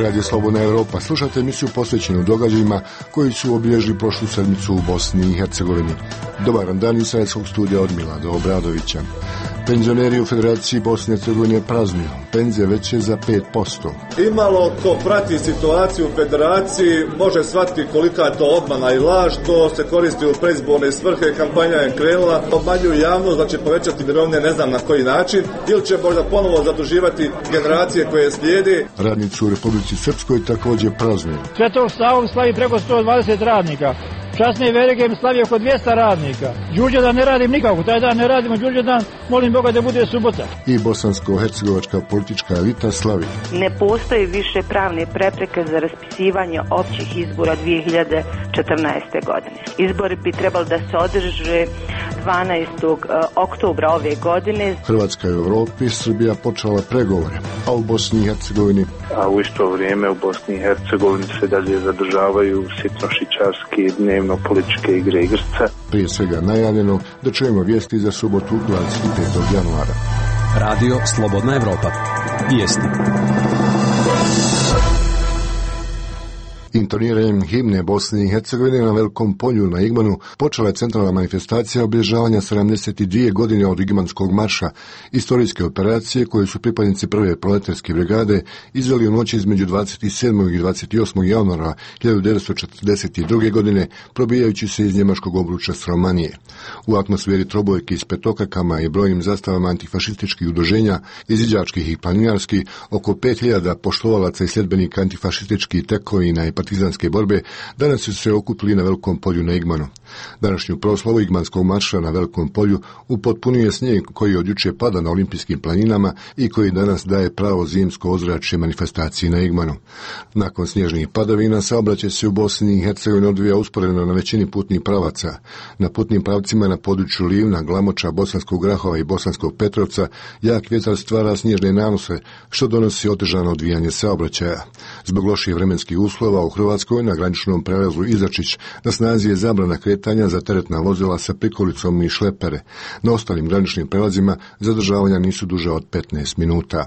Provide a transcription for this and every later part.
Radio Slobodna Europa. Slušate emisiju posvećenu događajima koji su obilježili prošlu sedmicu u Bosni i Hercegovini. Dobar dan iz Sredskog studija od Milada Obradovića. Penzioneri u Federaciji Bosne i Hercegovine praznuju. Penzije veće za 5%. Imalo ko prati situaciju u Federaciji može shvatiti kolika je to obmana i laž. To se koristi u predizborne svrhe, kampanja je krenula, obmanjuju javnost da će povećati mirovine ne znam na koji način ili će možda ponovo zaduživati generacije koje slijede. Radnici u Republici Srpskoj također praznuju. Svetog Savu slavi preko 120 radnika. Časne Verige slavi oko 200 radnika. Đurđevdan ne radim nikako, taj dan ne radimo Đurđevdan, molim Boga da bude subota. I bosansko-hercegovačka politička elita slavi. Ne postoji više pravne prepreke za raspisivanje općih izbora 2014. godine. Izbori bi trebali da se održe 12. oktobra ove godine. Hrvatska i u Europi, Srbija počela pregovore, a u Bosni i Hercegovini. A u isto vrijeme u Bosni i Hercegovini se dalje zadržavaju sitnošičarske dnevno-političke igre igrca. Prije svega najavljeno da čujemo vijesti za subotu 25. januara. Radio Slobodna Evropa. Vijesti. Intoniranjem himne Bosne i Hercegovine na Velikom polju na Igmanu počela je centralna manifestacija obilježavanja 72 godine od Igmanskog marša, istorijske operacije koje su pripadnici prve proletarske brigade izveli u noći između 27. i 28. januara 1942. godine, probijajući se iz njemačkog obruča s Romanije. U atmosferi trobojki s petokakama i brojnim zastavama antifašističkih udruženja, izviđačkih i planinarskih, oko 5000 poštovalaca i sljedbenika antifašističkih tekovina i partizanske borbe danas su se okupili na Velikom polju na Igmanu. Današnju proslavu Igmanskog marša na Velikom polju upotpunio snijeg koji od juče pada na olimpijskim planinama i koji danas daje pravo zimsko ozračje manifestaciji na Igmanu. Nakon snježnih padavina saobraćaj se u Bosni i Hercegovini odvija usporedno na većini putnih pravaca. Na putnim pravcima na području Livna, Glamoča, Bosanskog Grahova i Bosanskog Petrovca jak vjetar stvara snježne nanose, što donosi otežano odvijanje saobraćaja. Zbog loših vremenskih uslova u Hrvatskoj na graničnom prelazu Izačić na snazi je zabrana kretanja za teretna vozila sa prikolicom i šlepere. Na ostalim graničnim prelazima zadržavanja nisu duža od 15 minuta.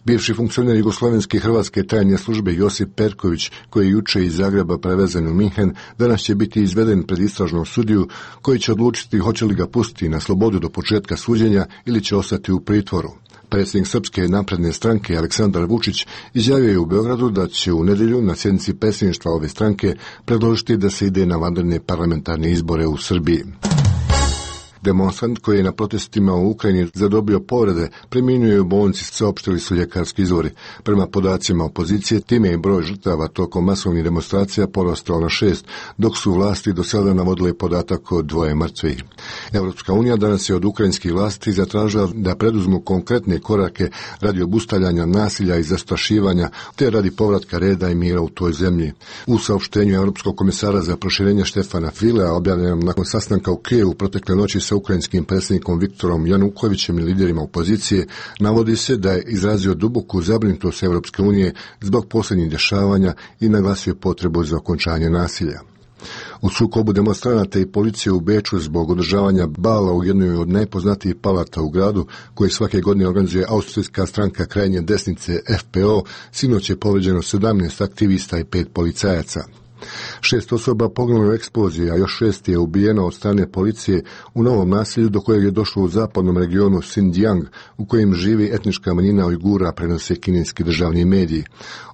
Bivši funkcioner jugoslovenske i hrvatske tajne službe Josip Perković, koji je juče iz Zagreba prevezen u Minhen, danas će biti izveden pred istražnom sudiju koji će odlučiti hoće li ga pustiti na slobodu do početka suđenja ili će ostati u pritvoru. Predsjednik Srpske napredne stranke Aleksandar Vučić izjavio je u Beogradu da će u nedjelju na sjednici predsjedništva ove stranke predložiti da se ide na vanredne parlamentarne izbore u Srbiji. Demonstrant koji je na protestima u Ukrajini zadobio povrede preminuo je u bolnici, saopštili su ljekarski izvori. Prema podacima opozicije, time je broj žrtava tokom masovnih demonstracija porastao na 6, dok su vlasti do sada navodile podatak o 2 mrtvih. Evropska unija danas je od ukrajinskih vlasti zatražila da preduzmu konkretne korake radi obustavljanja nasilja i zastrašivanja, te radi povratka reda i mira u toj zemlji. U saopštenju Europskog komisara za proširenje Štefana Filea, objavljenom nakon sastanka u Kijevu protekle noći sa ukrajinskim predsjednikom Viktorom Janukovićem i liderima opozicije, navodi se da je izrazio duboku zabrinutost Evropske unije zbog posljednjih dešavanja i naglasio potrebu za okončanje nasilja. U sukobu demonstranata i policije u Beču zbog održavanja bala u jednoj od najpoznatijih palata u gradu, koji svake godine organizuje austrijska stranka krajnje desnice FPO, sinoć je povrijeđeno 17 aktivista i 5 policajaca. 6 osoba poginulo u eksploziji, a još 6 je ubijeno od strane policije u novom nasilju do kojeg je došlo u zapadnom regionu Xinjiang, u kojem živi etnička manjina Ujgura, prenose kineski državni mediji.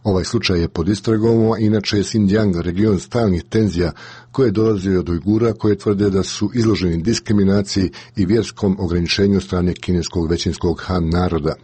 Ovaj slučaj je pod istragom, a inače je Xinjiang region stalnih tenzija koje dolaze od Ujgura, koje tvrde da su izloženi diskriminaciji i vjerskom ograničenju strane kineskog većinskog Han naroda.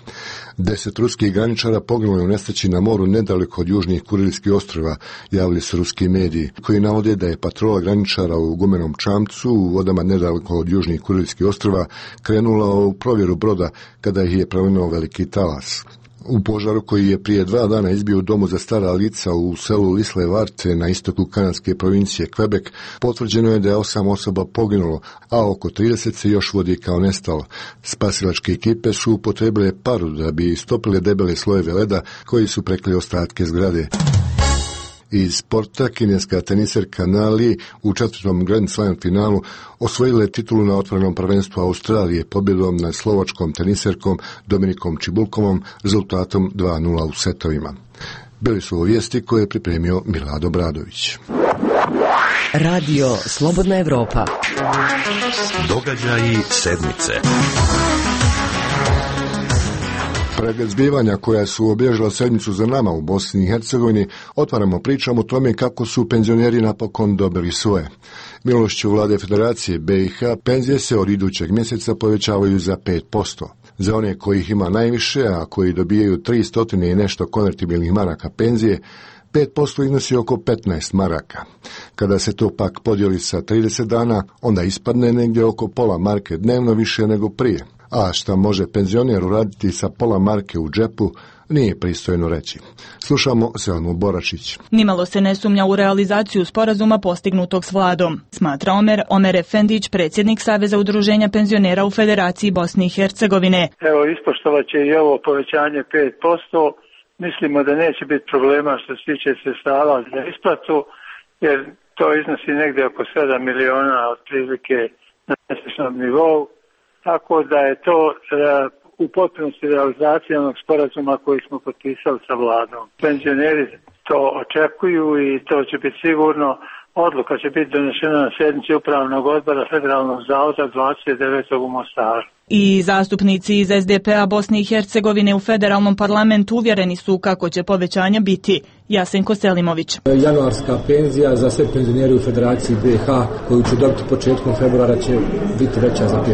10 ruskih graničara poginulo je u nesreći na moru nedaleko od južnih Kurilskih ostrva, javili su ruski mediji, koji navode da je patrola graničara u gumenom čamcu u vodama nedaleko od južnih Kurilskih ostrva krenula u provjeru broda kada ih je prelinuo veliki talas. U požaru koji je prije 2 dana izbio u domu za stara lica u selu Lisle Varte na istoku kanadske provincije Quebec, potvrđeno je da je 8 osoba poginulo, a oko 30 se još vodi kao nestalo. Spasilačke ekipe su upotrebile paru da bi istopile debele slojeve leda koji su prekli ostatke zgrade. Iz sporta kineska teniserka Na Li u četvrtom Grand Slam finalu osvojila je titulu na otvorenom prvenstvu Australije pobjedom nad slovačkom teniserkom Dominikom Cibulkovom rezultatom 2:0 u setovima. Bili su ovo vijesti koje je pripremio Milad Obradović. Radio Slobodna Evropa. Događaji sedmice. Pred zbivanja koja su obilježila sedmicu za nama u Bosni i Hercegovini, otvaramo pričam o tome kako su penzioneri napokon dobili svoje. Milošću vlade Federacije BiH, penzije se od idućeg mjeseca povećavaju za 5%. Za one kojih ima najviše, a koji dobijaju 300 i nešto konvertibilnih maraka penzije, 5% iznosi oko 15 maraka. Kada se to pak podijeli sa 30 dana, onda ispadne negdje oko pola marke dnevno više nego prije. A šta može penzioner uraditi sa pola marke u džepu, nije pristojno reći. Slušamo Selmu Boračić. Nimalo se ne sumnja u realizaciju sporazuma postignutog s vladom, smatra Omer Efendić, predsjednik Saveza udruženja penzionera u Federaciji Bosne i Hercegovine. Evo, ispoštovat će i ovo povećanje 5%. Mislimo da neće biti problema što se tiče sredstava za isplatu, jer to iznosi negdje oko 7 miliona otprilike na mjesečnom nivou. Tako da je to u potpunosti realizacija onog sporazuma koji smo potpisali sa vladom. Penzioneri to očekuju i to će biti sigurno. Odluka će biti donešena na sjednici Upravnog odbora Federalnog zavoda 29. u Mostaru. I zastupnici iz SDP-a Bosne i Hercegovine u federalnom parlamentu uvjereni su kako će povećanja biti. Jasenko Selimović. Januarska penzija za sve penzionere u Federaciji BiH koju će dobiti početkom februara će biti veća za 5%.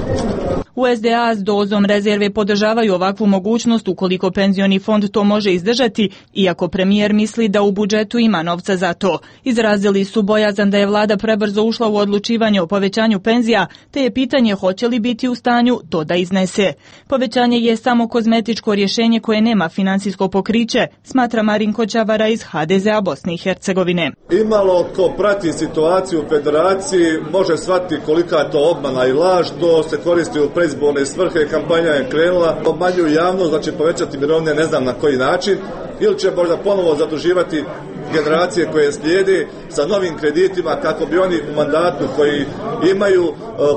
U SDA s dozom rezerve podržavaju ovakvu mogućnost ukoliko penzioni fond to može izdržati, iako premijer misli da u budžetu ima novca za to. Izrazili su bojazan da je vlada prebrzo ušla u odlučivanje o povećanju penzija, te je pitanje hoće li biti u stanju to da iznese. Povećanje je samo kozmetičko rješenje koje nema financijsko pokriće, smatra Marinko Čavara iz HDZ-a Bosne i Hercegovine. Imalo ko prati situaciju u Federaciji može shvatiti kolika je to obmana i laž, to se koristi u predizborne svrhe, kampanja je krenula, obmanjuju javnost da će povećati mirovine ne znam na koji način, ili će možda ponovo zaduživati generacije koje slijede sa novim kreditima kako bi oni u mandatu koji imaju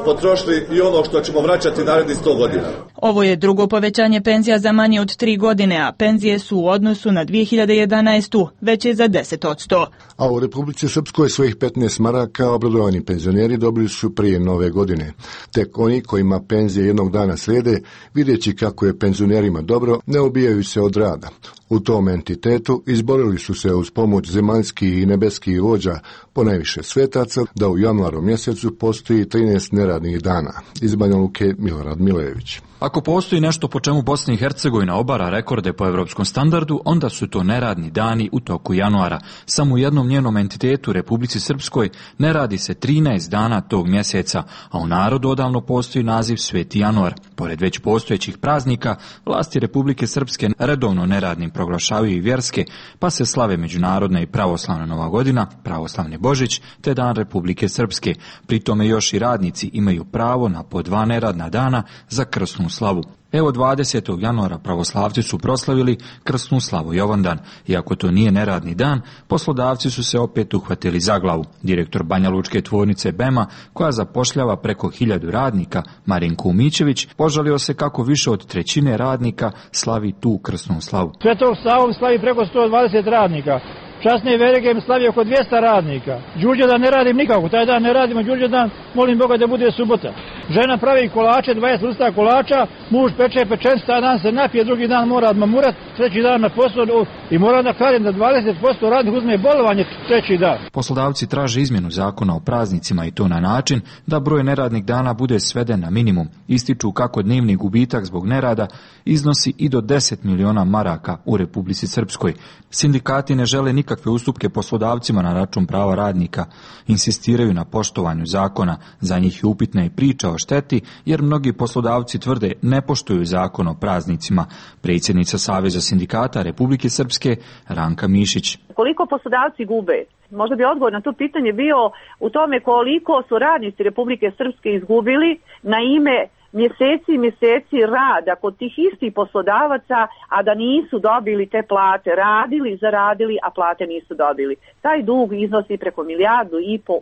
potrošili i ono što ćemo vraćati narednih 100 godina. Ovo je drugo povećanje penzija za manje od 3 godine, a penzije su u odnosu na 2011. veće za 10%. A u Republici Srpskoj svojih 15 maraka obradovani penzioneri dobili su prije nove godine. Tek oni kojima penzije jednog dana slijede, vidjeći kako je penzionerima dobro, ne obijaju se od rada. U tom entitetu izborili su se uz pomoć zemaljskih i nebeskih vođa, ponajviše svetaca, da u januaru mjesecu postoji 13 neradnih dana. Iz Banja Luke Milorad Milejević. Ako postoji nešto po čemu Bosna i Hercegovina obara rekorde po evropskom standardu, onda su to neradni dani u toku januara. Samo u jednom njenom entitetu, Republici Srpskoj, ne radi se 13 dana tog mjeseca, a u narodu odavno postoji naziv Sveti januar. Pored već postojećih praznika, vlasti Republike Srpske redovno neradnim proglašavaju i vjerske, pa se slave međunarodna i pravoslavna Nova godina, pravoslavni Božić, te Dan Republike Srpske. Pri tome još i radnici imaju pravo na po 2 neradna dana za krsnu slavu. Evo 20. januara pravoslavci su proslavili krsnu slavu Jovandan. Iako to nije neradni dan, poslodavci su se opet uhvatili za glavu. Direktor Banja Lučke tvornice BEMA, koja zapošljava preko 1000 radnika, Marinko Umićević, požalio se kako više od 1/3 radnika slavi tu krsnu slavu. Svetog Savu slavi preko 120 radnika. Časne Veregem slavi oko 200 radnika. Đurđevdan ne radim nikako, taj dan ne radimo Đurđevdan, molim Boga da bude subota. Žena pravi kolače, 20 vrsta kolača, muž peče pečencu, taj dan se napije, drugi dan mora odmamurat, treći dan na posao i moram da kažem da 20% radnih uzme bolovanje treći dan. Poslodavci traže izmjenu zakona o praznicima i to na način da broj neradnih dana bude sveden na minimum. Ističu kako dnevni gubitak zbog nerada iznosi i do 10 miliona maraka u Republici Srpskoj. Sindikati ne žele nikakve ustupke poslodavcima na račun prava radnika. Insistiraju na poštovanju zakona. Za njih je upitna i priča o šteti, jer mnogi poslodavci tvrde ne poštuju zakon o praznicima. Predsjednica Saveza sindikata Republike Srpske Ranka Mišić. Koliko poslodavci gube? Možda bi odgovor na to pitanje bio u tome koliko su radnici Republike Srpske izgubili na ime mjeseci i mjeseci rada kod tih istih poslodavaca, a da nisu dobili te plate, radili, zaradili, a plate nisu dobili. Taj dug iznosi preko 1,5 milijardu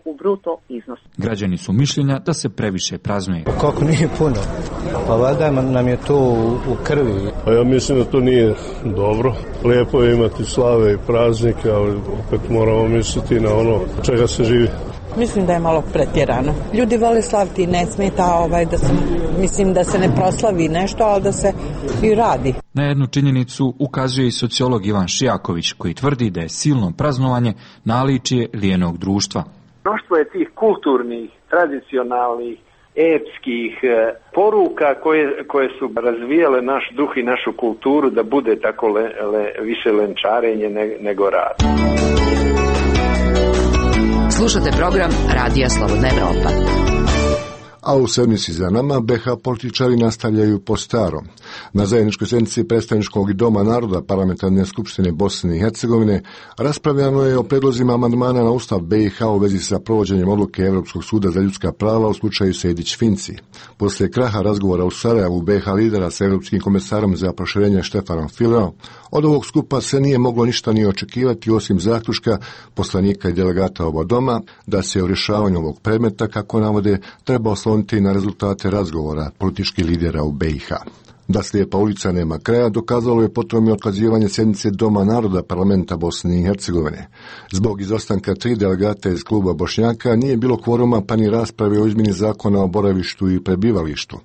u bruto iznos. Građani su mišljenja da se previše praznuje. Kako nije puno? Pa valjda nam je to u krvi. Pa ja mislim da to nije dobro. Lijepo je imati slave i praznike, ali opet moramo misliti na ono čega se živi. Mislim da je malo pretjerano. Ljudi vole slaviti, ne smeta da se ne proslavi nešto, ali da se i radi. Na jednu činjenicu ukazuje i sociolog Ivan Šijaković, koji tvrdi da je silno praznovanje naličje lijenog društva. Mnoštvo je tih kulturnih, tradicionalnih, epskih poruka koje su razvijale naš duh i našu kulturu da bude tako više lenčarenje nego rad. Slušate program Radija Slobodna Evropa. A u sedmici za nama BH političari nastavljaju po starom. Na zajedničkoj sjednici predstavničkog doma naroda Parlamentarne skupštine Bosne i Hercegovine raspravljano je o predlozima amandmana na Ustav BiH u vezi sa provođenjem odluke Europskog suda za ljudska prava u slučaju Sejdić-Finci. Poslije kraha razgovora u Sarajevu BiH lidera sa Europskim komesarom za proširenje Štefanom Fileom, od ovog skupa se nije moglo ništa ni očekivati osim zaključka poslanika i delegata oba doma da se u rješavanju ovog predmeta, kako navode, treba osloniti na rezultate razgovora političkih lidera u BiH. Da slijepa ulica nema kraja dokazalo je potom i otkazivanje sjednice Doma naroda Parlamenta Bosne i Hercegovine. Zbog izostanka 3 delegata iz kluba Bošnjaka nije bilo kvoruma pa ni rasprave o izmjeni zakona o boravištu i prebivalištu.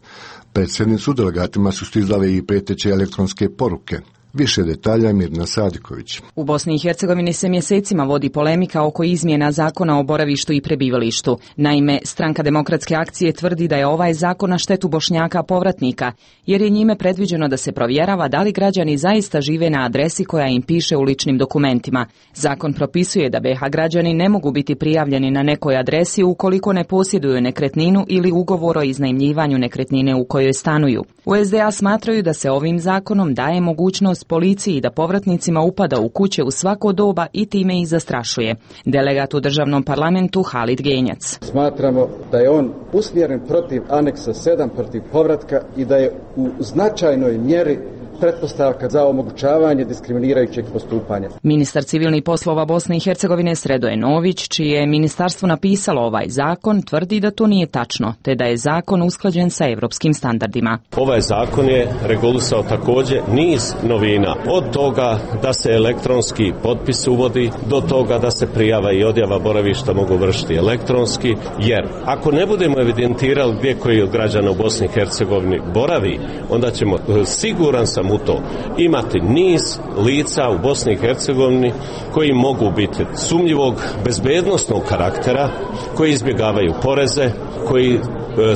Pred sjednicu delegatima su stizale i prijeteće elektronske poruke. Više detalja Mirna Sadiković. U Bosni i Hercegovini se mjesecima vodi polemika oko izmjena zakona o boravištu i prebivalištu. Naime, Stranka demokratske akcije tvrdi da je ovaj zakon na štetu Bošnjaka povratnika, jer je njime predviđeno da se provjerava da li građani zaista žive na adresi koja im piše u ličnim dokumentima. Zakon propisuje da BiH građani ne mogu biti prijavljeni na nekoj adresi ukoliko ne posjeduju nekretninu ili ugovor o iznajmljivanju nekretnine u kojoj stanuju. U SDA smatraju da se ovim zakonom daje mogućnost policiji da povratnicima upada u kuće u svako doba i time ih zastrašuje. Delegat u državnom parlamentu Halid Genjac. Smatramo da je on usmjeren protiv aneksa 7, protiv povratka i da je u značajnoj mjeri pretpostavka za omogućavanje diskriminirajućeg postupanja. Ministar civilnih poslova Bosne i Hercegovine Sredoje Nović, čije je ministarstvo napisalo ovaj zakon, tvrdi da to nije tačno, te da je zakon usklađen sa europskim standardima. Ovaj zakon je regulisao također niz novina, od toga da se elektronski potpis uvodi, do toga da se prijava i odjava boravišta mogu vršiti elektronski, jer ako ne budemo evidentirali gdje koji od građana u Bosni i Hercegovini boravi, onda ćemo, siguran sam u to, imati niz lica u Bosni i Hercegovini koji mogu biti sumnjivog bezbednosnog karaktera, koji izbjegavaju poreze, koji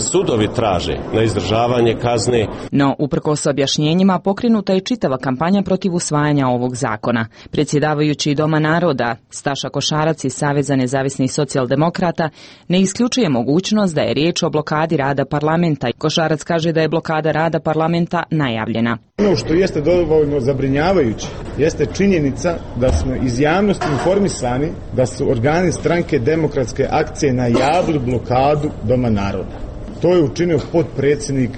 sudovi traže na izdržavanje kazne. No, uprkos objašnjenjima, pokrenuta je čitava kampanja protiv usvajanja ovog zakona. Predsjedavajući Doma naroda, Staša Košarac iz Saveza nezavisnih socijaldemokrata, ne isključuje mogućnost da je riječ o blokadi rada parlamenta. Košarac kaže da je blokada rada parlamenta najavljena. Ono što jeste dovoljno zabrinjavajuće jeste činjenica da smo iz javnosti informisani da su organi Stranke demokratske akcije najavili blokadu Doma naroda. To je učinio potpredsjednik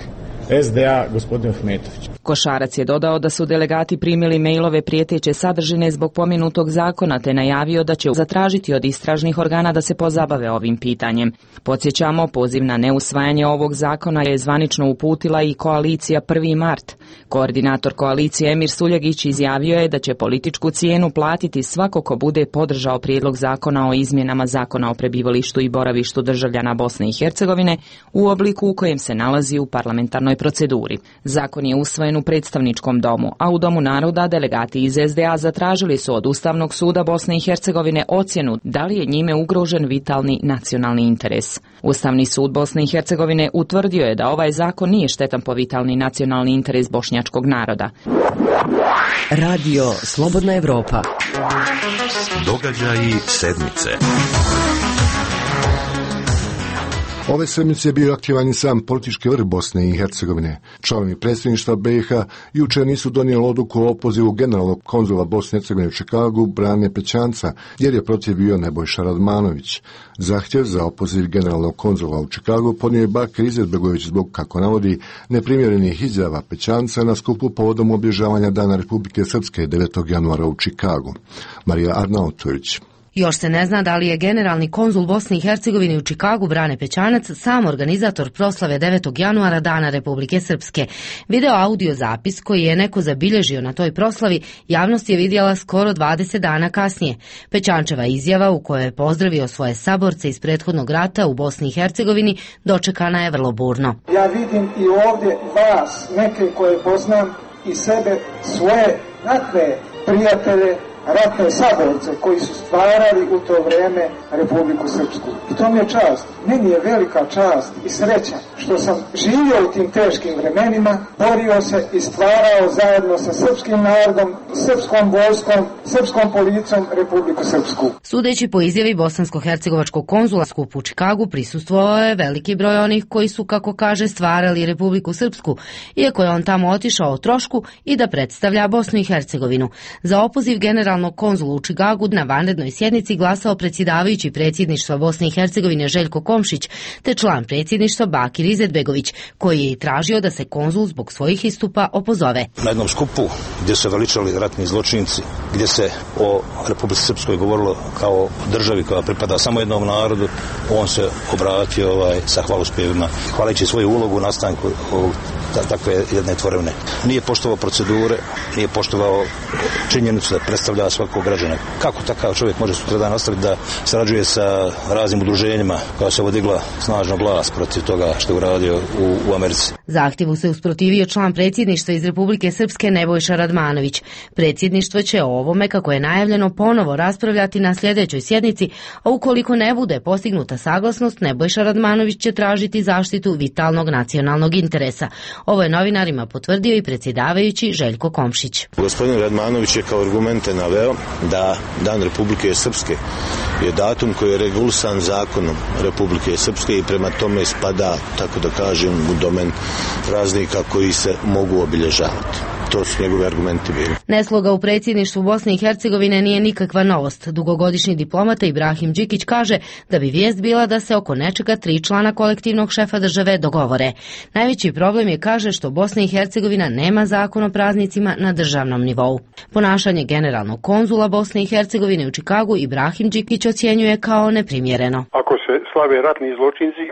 SDA gospodin Ahmetović. Košarac je dodao da su delegati primili mailove prijeteće sadržine zbog pomenutog zakona, te najavio da će zatražiti od istražnih organa da se pozabave ovim pitanjem. Podsjećamo, poziv na neusvajanje ovog zakona je zvanično uputila i koalicija 1. mart. Koordinator koalicije Emir Suljegić izjavio je da će političku cijenu platiti svako ko bude podržao prijedlog zakona o izmjenama zakona o prebivalištu i boravištu državljana Bosne i Hercegovine u obliku u kojem se nalazi u parlamentarnoj proceduri. Zakon je usvojen u predstavničkom domu, a u Domu naroda delegati iz SDA zatražili su od Ustavnog suda Bosne i Hercegovine ocjenu da li je njime ugrožen vitalni nacionalni interes. Ustavni sud Bosne i Hercegovine utvrdio je da ovaj zakon nije štetan po vitalni nacionalni interes bošnjačkog naroda. Radio Slobodna Evropa. Događaji sedmice. Ove sedmice je bio aktivan i sam politički vrh Bosne i Hercegovine. Članovi predsjedništva BiH jučer nisu donijeli odluku o opozivu generalnog konzula Bosne i Hercegovine u Čikagu Brane Pećanca, jer je protiv bio Nebojša Radmanović. Zahtjev za opoziv generalnog konzula u Čikagu podnio je Bakir Izetbegović zbog, kako navodi, neprimjerenih izjava Pećanca na skupu povodom obilježavanja Dana Republike Srpske 9. januara u Čikagu. Marija Arnautović. Još se ne zna da li je generalni konzul Bosne i Hercegovine u Čikagu Brane Pećanac sam organizator proslave 9. januara Dana Republike Srpske. Video audio zapis koji je neko zabilježio na toj proslavi javnost je vidjela skoro 20 dana kasnije. Pećančeva izjava u kojoj je pozdravio svoje saborce iz prethodnog rata u Bosni i Hercegovini dočekana je vrlo burno. Ja vidim i ovdje vas, neke koje poznam, i sebe, svoje ratne prijatelje, ratne saborce koji su stvarali u to vrijeme Republiku Srpsku. I to mi je čast. Meni je velika čast i sreća što sam živio u tim teškim vremenima, borio se i stvarao zajedno sa srpskim narodom, srpskom vojskom, srpskom policijom Republiku Srpsku. Sudeći po izjavi bosansko-hercegovačkog konzula skupu u Čikagu prisustvovao je veliki broj onih koji su, kako kaže, stvarali Republiku Srpsku, iako je on tamo otišao o trošku i da predstavlja Bosnu i Hercegovinu. Za opoziv generalnog konzula u Čikagu na vanrednoj sjednici glasao predsjedavajući predsjedništva Bosne i Hercegovine Željko Komšić, te član predsjedništva Bakir Izetbegović, koji je i tražio da se konzul zbog svojih istupa opozove. Na jednom skupu gdje su veličali ratni zločinci, gdje se o Republici Srpskoj govorilo kao državi koja pripada samo jednom narodu, on se obratio sa hvalospjevima, hvaleći svoju ulogu u nastanku takve jedne tvorevine. Nije poštovao procedure, nije poštovao činjenicu da predstavlja svakog građana. Kako takav čovjek može sutradan nastaviti da sarađuje sa raznim udruženjima koja se odigla snažno glas protiv toga što je uradio u Americi? Zahtjevu se usprotivio član predsjedništva iz Republike Srpske Nebojša Radmanović. Predsjedništvo će o ovome, kako je najavljeno, ponovo raspravljati na sljedećoj sjednici, a ukoliko ne bude postignuta saglasnost, Nebojša Radmanović će tražiti zaštitu vitalnog nacionalnog interesa. Ovo je novinarima potvrdio i predsjedavajući Željko Komšić. Gospodin Radmanović je kao argumente naveo da Dan Republike Srpske je datum koji je regulisan zakonom Republike Srpske i prema tome spada, tako da kažem, u domen praznika koji se mogu obilježavati. To su njegovi argumenti bili. Nesloga u predsjedništvu Bosne i Hercegovine nije nikakva novost. Dugogodišnji diplomata Ibrahim Đikić kaže da bi vijest bila da se oko nečega 3 člana kolektivnog šefa države dogovore. Najveći problem je, kaže, što Bosna i Hercegovina nema zakon o praznicima na državnom nivou. Ponašanje generalnog konzula Bosne i Hercegovine u Čikagu Ibrahim Đikić ocjenjuje kao neprimjereno. Ako se slave ratni zločinci,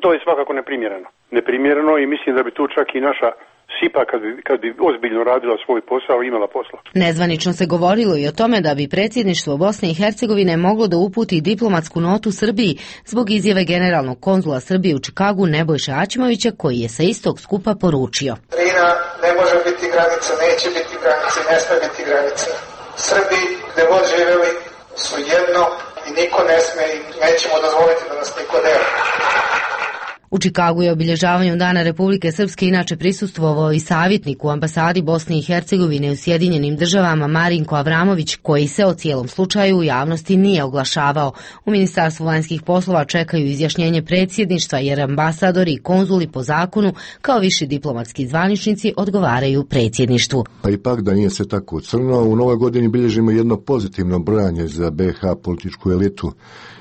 to je svakako neprimjereno. Neprimjereno i mislim da bi tu čak i naša SIPA kad bi ozbiljno radila svoj posao imala posla. Nezvanično se govorilo i o tome da bi predsjedništvo Bosne i Hercegovine moglo da uputi diplomatsku notu Srbiji zbog izjave generalnog konzula Srbije u Čikagu Nebojše Aćimovića, koji je sa istog skupa poručio: Drina ne može biti granica, neće biti granica, ne sme biti granica. Srbi gde god živeli su jedno i niko ne sme i nećemo dozvoliti da nas niko deli. U Čikagu je obilježavanju Dana Republike Srpske inače prisustvovao i savjetnik u ambasadi Bosne i Hercegovine u Sjedinjenim Državama Marinko Avramović, koji se o cijelom slučaju u javnosti nije oglašavao. U Ministarstvu vanjskih poslova čekaju izjašnjenje predsjedništva, jer ambasadori i konzuli po zakonu kao viši diplomatski zvaničnici odgovaraju predsjedništvu. Pa ipak da nije sve tako crno, u novoj godini bilježimo jedno pozitivno brojanje za BiH političku elitu.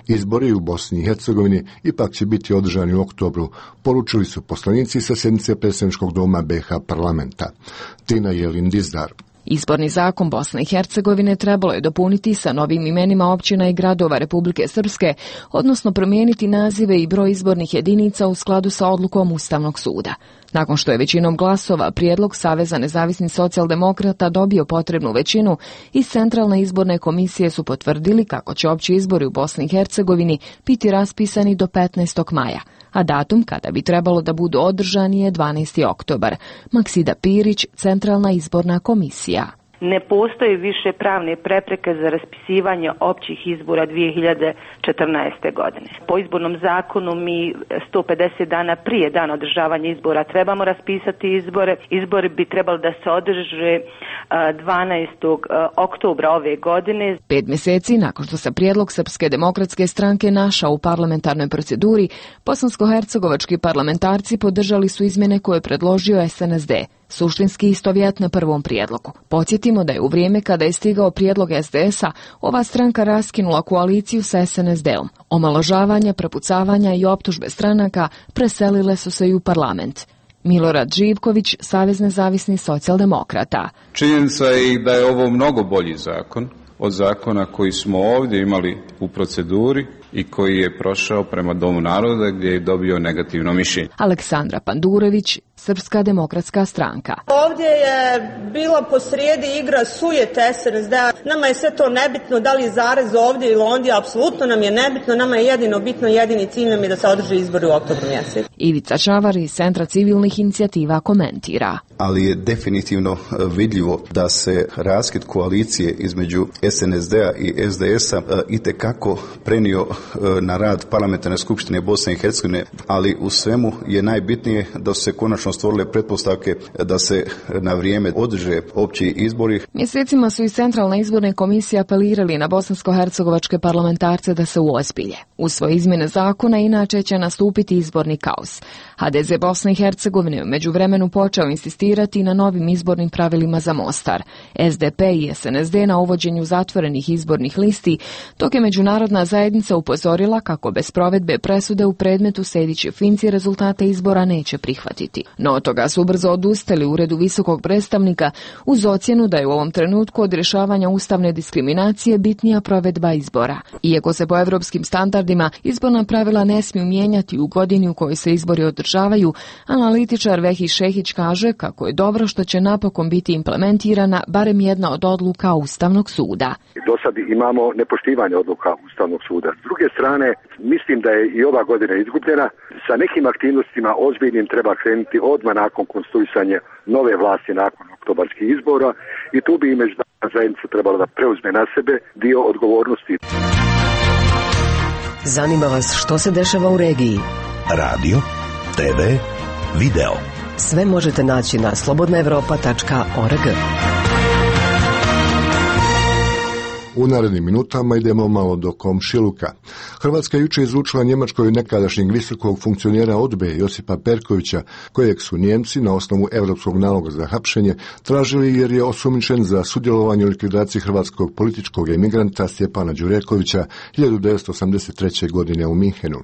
Izbori u Bosni i Hercegovini ipak će biti održani u oktobru, poručili su poslanici sa sjednice predsjedničkog doma BiH parlamenta. Tina Jelin Dizdar. Izborni zakon Bosne i Hercegovine trebalo je dopuniti sa novim imenima općina i gradova Republike Srpske, odnosno promijeniti nazive i broj izbornih jedinica u skladu sa odlukom Ustavnog suda. Nakon što je većinom glasova prijedlog Saveza nezavisnih socijaldemokrata dobio potrebnu većinu, iz Centralne izborne komisije su potvrdili kako će opći izbori u Bosni i Hercegovini biti raspisani do 15. maja, a datum kada bi trebalo da budu održani je 12. oktobar. Maksida Pirić, Centralna izborna komisija. ne postoje više pravne prepreke za raspisivanje općih izbora 2014. godine. Po izbornom zakonu mi 150 dana prije dana održavanja izbora trebamo raspisati izbore. Izbori bi trebali da se održe 12. oktobra ove godine. 5 mjeseci nakon što se prijedlog Srpske demokratske stranke našao u parlamentarnoj proceduri, bosansko-hercegovački parlamentarci podržali su izmjene koje je predložio SNSD. Suštinski istovjetne prvom prijedlogu. Podsjetimo da je u vrijeme kada je stigao prijedlog SDS-a, ova stranka raskinula koaliciju sa SNSD-om. Omaložavanja, prepucavanja i optužbe stranaka preselile su se i u parlament. Milorad Živković, Savez nezavisnih socijaldemokrata. Činjenica je da je ovo mnogo bolji zakon od zakona koji smo ovdje imali u proceduri i koji je prošao prema Domu naroda gdje je dobio negativno mišljenje. Aleksandra Pandurević, Srpska demokratska stranka. Ovdje je bila posrijedi igra sujete SNSD-a. Nama je sve to nebitno, da li je zarez ovdje ili ondje, apsolutno nam je nebitno. Nama je jedino bitno, jedini cilj nam je da se održi izbori u oktobru mjesecu. Ivica Čavar iz Centra civilnih inicijativa komentira. Ali je definitivno vidljivo da se raskid koalicije između SNSD-a i SDS-a itekako prenio na rad Parlamentarne skupštine Bosne i Hercegovine, ali u svemu je najbitnije da su se konačno stvorile pretpostavke da se na vrijeme održe opći izbori. Mjesecima su iz Centralne izborne komisije apelirali na bosansko-hercegovačke parlamentarce da se uozbilje. U svoje izmjene zakona inače će nastupiti izborni kaos. HDZ Bosne i Hercegovine u međuvremenu počeo insistirati na novim izbornim pravilima za Mostar. SDP i SNSD na uvođenju zatvorenih izbornih listi, dok je međunarodna zajednica upozorila kako bez provedbe presude u predmetu Sejdić Finci rezultate izbora neće prihvatiti. No od toga su brzo odustali u Uredu visokog predstavnika uz ocjenu da je u ovom trenutku od rješavanja ustavne diskriminacije bitnija provedba izbora. Iako se po evropskim standardima izborna pravila ne smiju mijenjati u godini u kojoj se izbori održavaju, analitičar Vehi Šehić kaže kako je dobro što će napokon biti implementirana barem jedna od odluka Ustavnog suda. Do sad imamo nepoštivanje odluka Ustavnog suda. S druge strane, mislim da je i ova godina izgubljena. Sa nekim aktivnostima ozbiljnim treba krenuti odmah nakon konstituisanja nove vlasti nakon oktobarskih izbora i tu bi i međunarodna zajednica trebala da preuzme na sebe dio odgovornosti. Zanima vas što se dešava u regiji? Radio, TV, video. Sve možete naći na slobodnaevropa.org. U narednim minutama idemo malo do komšiluka. Hrvatska jučer izručila Njemačkoj nekadašnjeg visokog funkcionera ODBE Josipa Perkovića, kojeg su Njemci na osnovu europskog naloga za hapšenje tražili jer je osumnjičen za sudjelovanje u likvidaciji hrvatskog političkog emigranta Stjepana Đurekovića 1983. godine u Minhenu.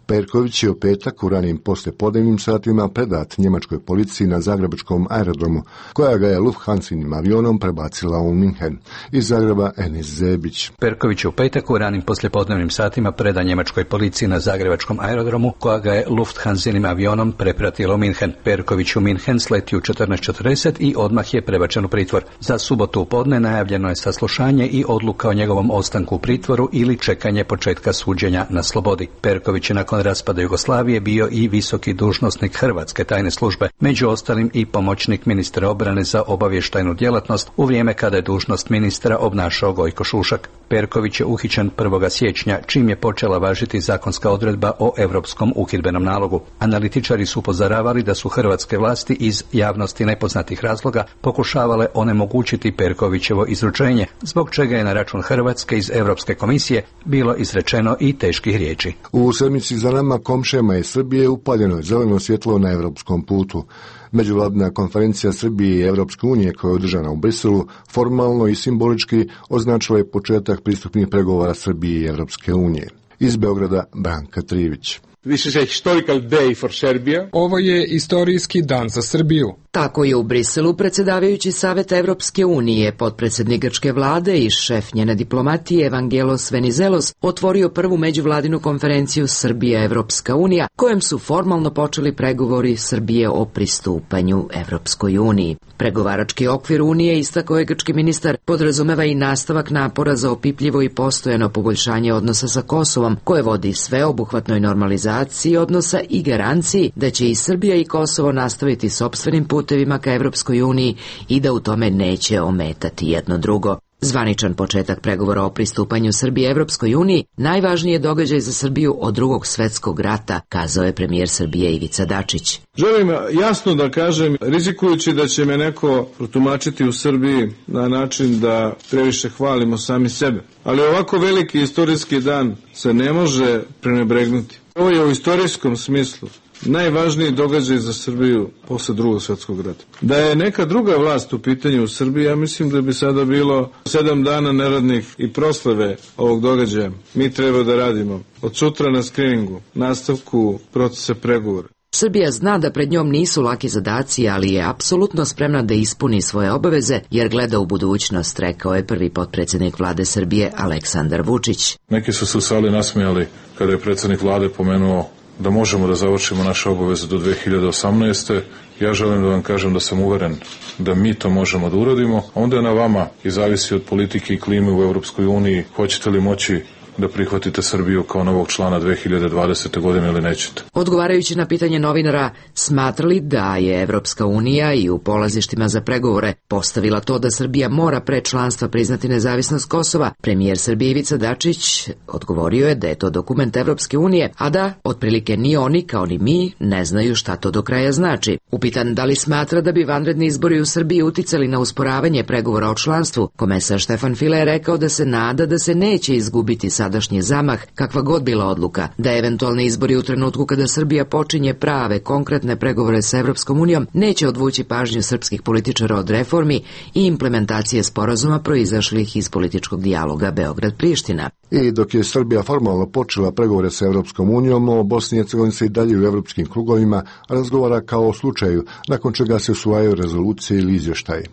Perković je u petak u ranim poslijepodnevnim satima predat njemačkoj policiji na zagrebačkom aerodromu, koja ga je Lufthansinim avionom prebacila u Minhen. Iz Zagreba Enis Zebić. Perković je u petak u ranim poslijepodnevnim satima predan njemačkoj policiji na zagrebačkom aerodromu, koja ga je Lufthansinim avionom prepratila u Minhen. Perković u Minhen sleti u 14:40 i odmah je prebačen u pritvor. Za subotu u podne najavljeno je saslušanje i odluka o njegovom ostanku u pritvoru ili čekanje početka suđenja na slobodi. Perković je nakon raspada Jugoslavije bio i visoki dužnosnik Hrvatske tajne službe, među ostalim i pomoćnik ministra obrane za obavještajnu djelatnost u vrijeme kada je dužnost ministra obnašao Gojko Šušak. Perković je uhićen 1. siječnja, čim je počela važiti zakonska odredba o europskom uhidbenom nalogu. Analitičari su upozoravali da su hrvatske vlasti iz javnosti nepoznatih razloga pokušavale onemogućiti Perkovićevo izručenje, zbog čega je na račun Hrvatske iz Europske komisije bilo izrečeno i teških riječi. U sedmici za nama komšijama iz Srbije upaljeno je zeleno svjetlo na europskom putu. Međuvladina konferencija Srbije i Europske unije koja je održana u Briselu formalno i simbolički označila je početak pristupnih pregovora Srbije i Europske unije. Iz Beograda Branka Trivić. This is a historical day for Serbia. Ovo je istorijski dan za Srbiju. Tako je u Briselu predsjedavajući Saveta Evropske unije, potpredsjednik grčke vlade i šef njene diplomatije Evangelos Venizelos otvorio prvu međuvladinu konferenciju Srbija-Evropska unija, kojem su formalno počeli pregovori Srbije o pristupanju Evropskoj uniji. Pregovarački okvir unije, istakao je grčki ministar, podrazumeva i nastavak napora za opipljivo i postojano poboljšanje odnosa sa Kosovom, koje vodi sveobuhvatnoj normalizaciji odnosa i garanciji da će i Srbija i Kosovo nastaviti sopstvenim putem putevima ka Evropskoj uniji i da u tome neće ometati jedno drugo. Zvaničan početak pregovora o pristupanju Srbije Evropskoj uniji najvažniji je događaj za Srbiju od Drugog svetskog rata, kazao je premijer Srbije Ivica Dačić. Želim jasno da kažem, rizikujući da će me neko protumačiti u Srbiji na način da previše hvalimo sami sebe. Ali ovako veliki istorijski dan se ne može prenebregnuti. Ovo je u istorijskom smislu najvažniji događaj za Srbiju posle Drugog svetskog rata. Da je neka druga vlast u pitanju u Srbiji, ja mislim da bi sada bilo 7 dana neradnih i proslave ovog događaja. Mi treba da radimo od sutra na skriningu, nastavku procesa pregovora. Srbija zna da pred njom nisu laki zadaci, ali je apsolutno spremna da ispuni svoje obaveze, jer gleda u budućnost, rekao je prvi potpredsjednik vlade Srbije Aleksandar Vučić. Neki su se u sali nasmijali kada je predsjednik vlade pomenuo da možemo da završimo naše obaveze do 2018. Ja želim da vam kažem da sam uveren da mi to možemo da uradimo. Onda je na vama i zavisi od politike i klime u Evropskoj uniji. Hoćete li moći da prihvatite Srbiju kao novog člana 2020. godine ili nećete? Odgovarajući na pitanje novinara, smatrali da je Evropska unija i u polazištima za pregovore postavila to da Srbija mora pre članstva priznati nezavisnost Kosova, premijer Srbije Ivica Dačić odgovorio je da je to dokument Evropske unije, a da otprilike ni oni kao ni mi ne znaju šta to do kraja znači. Upitan da li smatra da bi vanredni izbori u Srbiji uticali na usporavanje pregovora o članstvu, komesar Štefan File je rekao da se nada da se neće izgubiti sadašnji zamah, kakva god bila odluka, da eventualni izbori u trenutku kada Srbija počinje prave, konkretne pregovore sa Evropskom unijom neće odvući pažnju srpskih političara od reformi i implementacije sporazuma proizašlih iz političkog dijaloga Beograd-Priština. I dok je Srbija formalno počela pregovore sa Evropskom unijom, o Bosni i Hercegovini se i dalje u evropskim krugovima razgovara kao o slučaju, nakon čega se usvajaju rezolucije ili izvještaji.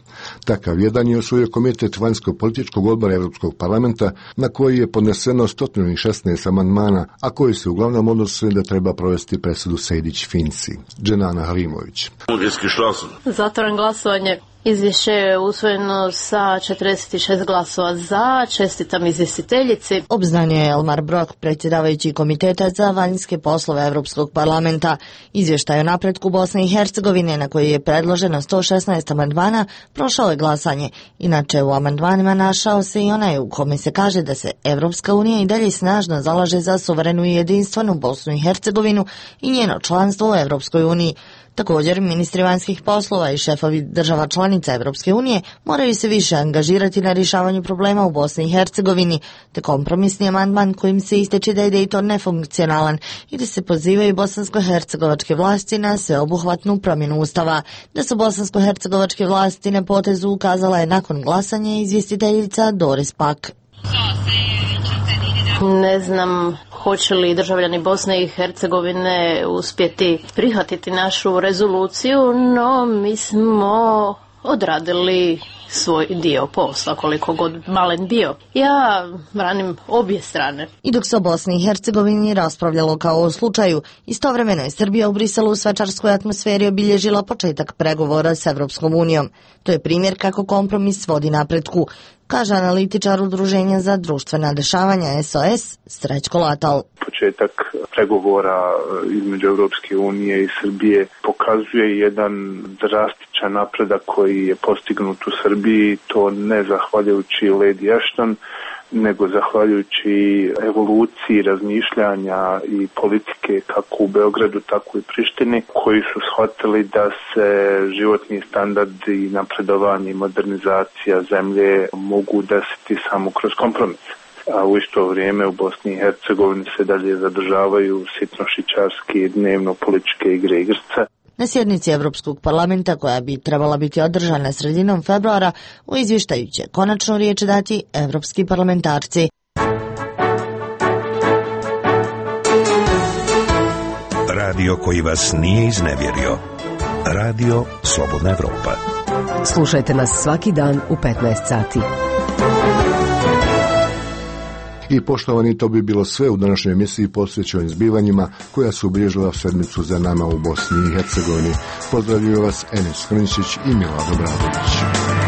Takav jedan je usvojio Komitet vanjsko-političkog odbora Evropskog parlamenta, na koji je podneseno 116 amandmana, a koji se uglavnom odnose da treba provesti presudu Sejdić-Finci. Dženana Halimović. Zatvaram glasovanje. Izvješće je usvojeno sa 46 glasova za. Čestitam izvjestiteljici. Obznanio je Elmar Brok, predsjedavajući Komiteta za vanjske poslove Evropskog parlamenta. Izvještaj o napretku Bosne i Hercegovine, na koji je predloženo 116 amandmana, prošao je glasanje. Inače, u amandmanima našao se i onaj u kome se kaže da se Evropska unija i dalje snažno zalaže za suverenu i jedinstvenu Bosnu i Hercegovinu i njeno članstvo u Evropskoj uniji. Također, ministri vanjskih poslova i šefovi država članica Evropske unije moraju se više angažirati na rješavanju problema u Bosni i Hercegovini, te kompromisni amandman kojim se ističe da je Dejton nefunkcionalan i da se pozivaju bosansko-hercegovačke vlasti na sveobuhvatnu promjenu ustava. Da su bosansko-hercegovačke vlasti na potezu ukazala je nakon glasanja izvjestiteljica Doris Pak. Ne znam hoće li državljani Bosne i Hercegovine uspjeti prihvatiti našu rezoluciju, no mi smo odradili svoj dio posla, koliko god malen bio. Ja branim obje strane. I dok se o Bosni i Hercegovini raspravljalo kao o slučaju, istovremeno je Srbija u Briselu u svečarskoj atmosferi obilježila početak pregovora s Evropskom unijom. To je primjer kako kompromis vodi napretku, kaže analitičar Udruženja za društvena dešavanja SOS Srećko Latal. Početak pregovora između Evropske unije i Srbije pokazuje jedan drastičan napredak koji je postignut u Srbiji, to ne zahvaljujući Lady Ashton, nego zahvaljujući evoluciji razmišljanja i politike kako u Beogradu, tako i Prištini, koji su shvatili da se životni standard i napredovanje i modernizacija zemlje mogu desiti samo kroz kompromis. A u isto vrijeme u Bosni i Hercegovini se dalje zadržavaju sitnošićarske dnevno političke igre igrca. Na sjednici Evropskog parlamenta, koja bi trebala biti održana sredinom februara, u izvještaju će konačnu riječ dati evropski parlamentarci. Radio koji vas nije iznevjerio. Radio Slobodna Evropa. Slušajte nas svaki dan u 15 sati. I poštovani, to bi bilo sve u današnjoj emisiji posvećenim zbivanjima koja su obilježila sedmicu za nama u Bosni i Hercegovini. Pozdravljaju vas Enes Hrničić i Milorad Obradović.